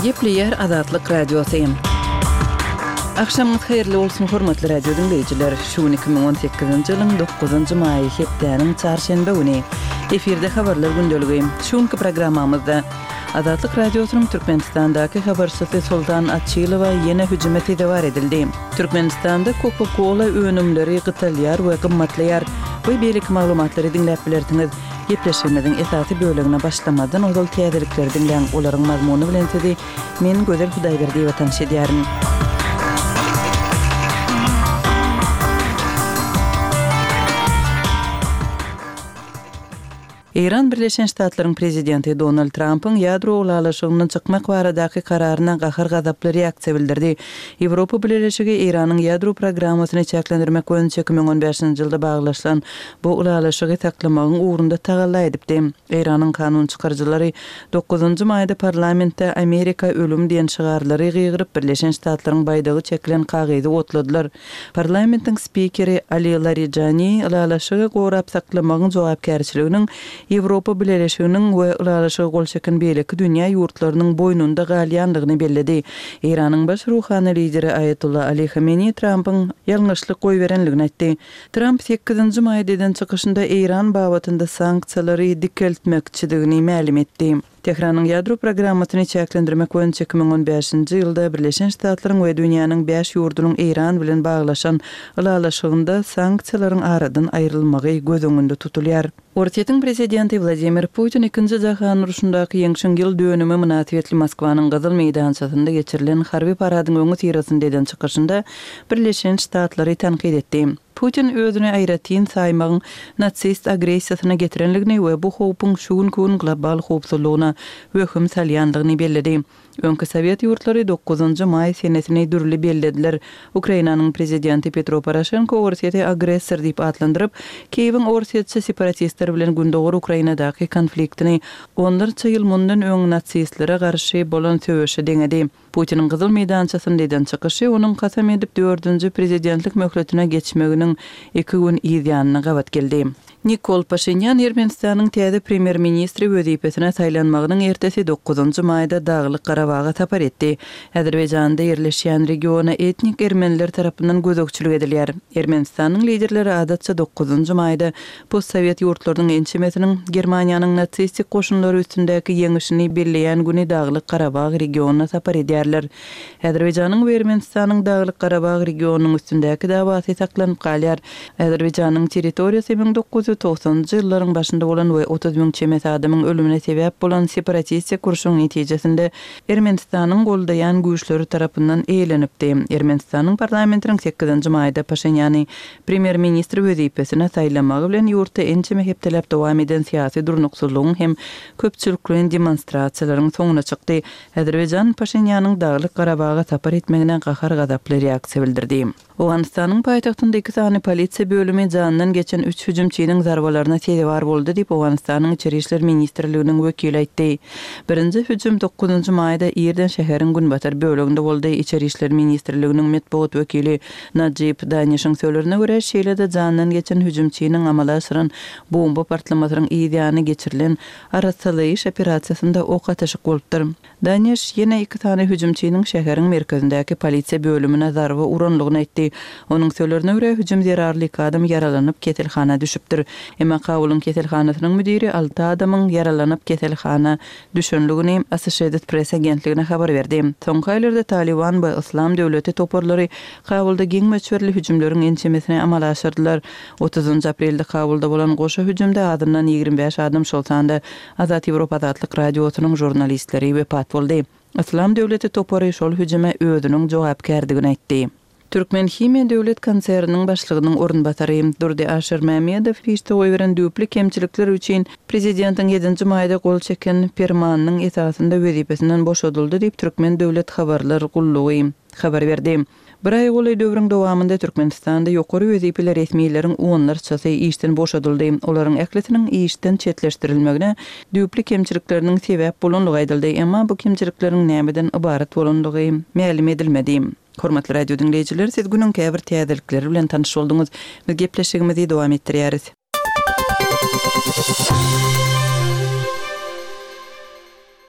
Gepleýär Azatlyk Radiosy. Agşamyňyz haýyrly bolsun, hormatly radio diňleýjiler! Şu gün 2018-nji ýylyň dokuzynjy maýy, hepdäniň çarşenbe güni. Efirde Habarlar gündeligi. Şu günki programmamyzda Azatlyk Radiosynyň Türkmenistandaky habarçysy Soltan Açylowa ýene hüjüme sezewar edildi. Türkmenistanda Coca-Cola önümleri gytalýar we gymmatlaýar we beýleki maglumatlary diňläp bilersiňiz. Gepleşigimiziň esasy bölegine başlamazdan ozal täzelikleri diňläň, olaryň mazmuny bilen sizi men Gözel Hudaýberdiýewa tanyş edýärin. Eýran Birleşen Ştatlaryň prezidenti Donald Trampyň ýadro ylalaşygyndan çykmak baradaky kararyna gahar-gazaply reaksiýa bildirdi. Ýewropa Bileleşigi Eýranyň ýadro programmasyny çäklendirmek boýunça 2015-nji ýylda baglaşylan bu ylalaşygy saklamagyň ugrunda tagalla edipdi. Eýranyň kanun çykaryjylary dokuzynjy maýda parlamentde Amerika ölüm diýen şygarlary gygyryp, Birleşen Ştatlaryň baýdagy çekilen kagyzy otladylar. Parlamentiň spikeri Ali Larijani ylalaşygy gorap saklamagyň jogapkärçiliginiň Ýewropa Bileleşiginiň we ylalaşyga gol çeken beýleki dünýä ýurtlarynyň boýnunda galýandygyny belledi. Eýranyň baş ruhany lideri Aýatolla Ali Hameni Trampyň ýalňyşlyk goýberenligini aýtdy. Tramp sekizinji maýda eden çykyşynda Eýran babatynda sanksiýalary dikeltmekçidigini mälim etdi. Tähranyň ýadro programmasyny çäklendirmek boýunça 2015-nji ýylda Birleşen Ştatlaryň we dünýäniň bäş ýurdunyň Eýran bilen baglaşan ylalaşygynda sanksiýalaryň aradan aýrylmagy göz öňünde tutulýar. Orsýetiň prezidenti Wladimir Putin Ikinji jahan urşundaky ýeňşiň ýyl dönümi mynasybetli Moskwanyň Gyzyl meýdançasynda geçirilen harby paradyň öňüsyrasynda eden çykyşynda Birleşen Ştatlary tankyt etdi. Putin özüni aýratyn saýmagyň nasist agressiýasyna getirenligini we bu howpuň şu günki gün global howpsuzlygyna wehim salýandygyny belledi. Öňki sowet ýurtlary dokuzynjy maý senesini dürli bellediler. Ukrainanyň prezidenti Petro Poroşenko Orsýeti agressor diýip atlandyryp, Kiýewiň orsýetçi separatistler bilen gündogar Ukrainadaky konfliktini onlarça ýyl mundan öň nasistlere garşy bolan söweşe deňedi. Putiniň Gyzyl meýdançasynda eden çykyşy onuň kasam edip dördünji prezidentlik möhletine geçmeginiň iki gün yz ýanyna gabat geldi. Nikol Paşinýan Ermenistanyň täze premýer-ministri wezipesine saýlanmagynyň ertesi dokuzynjy maýda Daglyk Garabaga sapar etdi. Azerbaýjanda ýerleşýän regiona etnik ermeniler tarapyndan gözegçilik edilýär. Ermenistanyň liderleri adatça dokuzynjy maýda Postsowet ýurtlarynyň ençemesiniň Germaniýanyň nasistik goşunlary üstündäki ýeňişini belleýän güni Daglyk Garabag regionyna sapar edýärler. Azerbaýjanyň we Ermenistanyň Daglyk Garabag regionynyň üstündäki dawasy saklanyp galýar. Azerbaýjanyň territoriýasy 1990-njy ýyllaryň başynda bolan we 30 müň çemesi adamyň ölümine sebäp bolan separatistik urşuň netijesinde Ermenistanyň goldaýan güýçleri tarapyndan eýelenipdi. Ermenistanyň parlamentiniň sekizinji maýda Paşinýany Premýer-ministr wezipesine saýlamagy bilen ýurtda ençeme hepdeläp dowam eden syýasy durnuksyzlygyň hem köpçülikleýin demonstrasiýalaryň soňuna çykdy. Azerbaýjan Paşinýanyň Daglyk Garabaga sapar etmegine gahar-gazaply reaksiýa bildirdi. Owganystanyň paýtagtynda iki sany polisiýa bölümi janyndan geçen üç hüjümçiniň zarbalaryna sezewar boldy diýip, Owganystanyň Içeri işler ministrliginiň wekili aýtdy. Birinji hüjüm dokuzynjy maýda irden şäheriň günbatar böleginde boldy. Içeri işler ministrliginiň metbugat wekili Najib Danişiň sözlerine görä, şeýle-de jandan geçen hüjümçiniň amala aşyran bomba partlamasynyň yz ýany geçirilen arassalaýyş operasiýasynda ok atyşyk bolupdyr. Daniş ýene iki sany hüjümçiniň şäheriň merkezindäki polisiýa bölümine zarba uranlygyny aýtdy. Onuň sözlerine görä, hüjüm zerarly iki adam ýaralanyp, keselhana düşüpdir. Emma Kabulyň keselhanasynyň müdiri alty adamyň ýaralanyp, keselhana düşenligini Associated Press agentligine habar berdi. Soňky aýlarda Talyban we Yslam döwleti toparlary Kabulda giň möçberli hüjümleriň ençemesini amala aşyrdylar. Otuzynjy aprelde Kabulda bolan goşa hüjümde azyndan 25 adam, şol sanda Azat Ýewropa Azatlyk Radiosynyň žurnalistleri wepat boldy. Yslam döwleti topary şol hüjüme özüniň jogapkärdigini aýtdy. Türkmenhimiýa döwlet konserniniň başlygynyň orunbasary Durdy Aşyrmämmedow işde goýberen düýpli kemçilikler üçin prezidentiň ýedinji maýda gol çeken Permanynyň esasynda wezipesinden boşadyldy diýip, Türkmen döwlet habarlar gullugy habar berdi. Bir aýa golaý döwrüň dowamynda Türkmenistanda ýokary wezipeli resmileriň onlarçasy işden boşadyldy. Olaryň ählisiniň işden çetleşdirilmegine düýpli kemçilikleriniň sebäp bolandygy aýdyldy, emma bu kemçilikleriň nämeden ybarat bolandygy mälim edilmedi. Hormatly radio diňleýjiler, siz günüň käbir täzelikleri bilen tanyş bolduňyz. Biz gepleşigimizi dowam etdirýäris.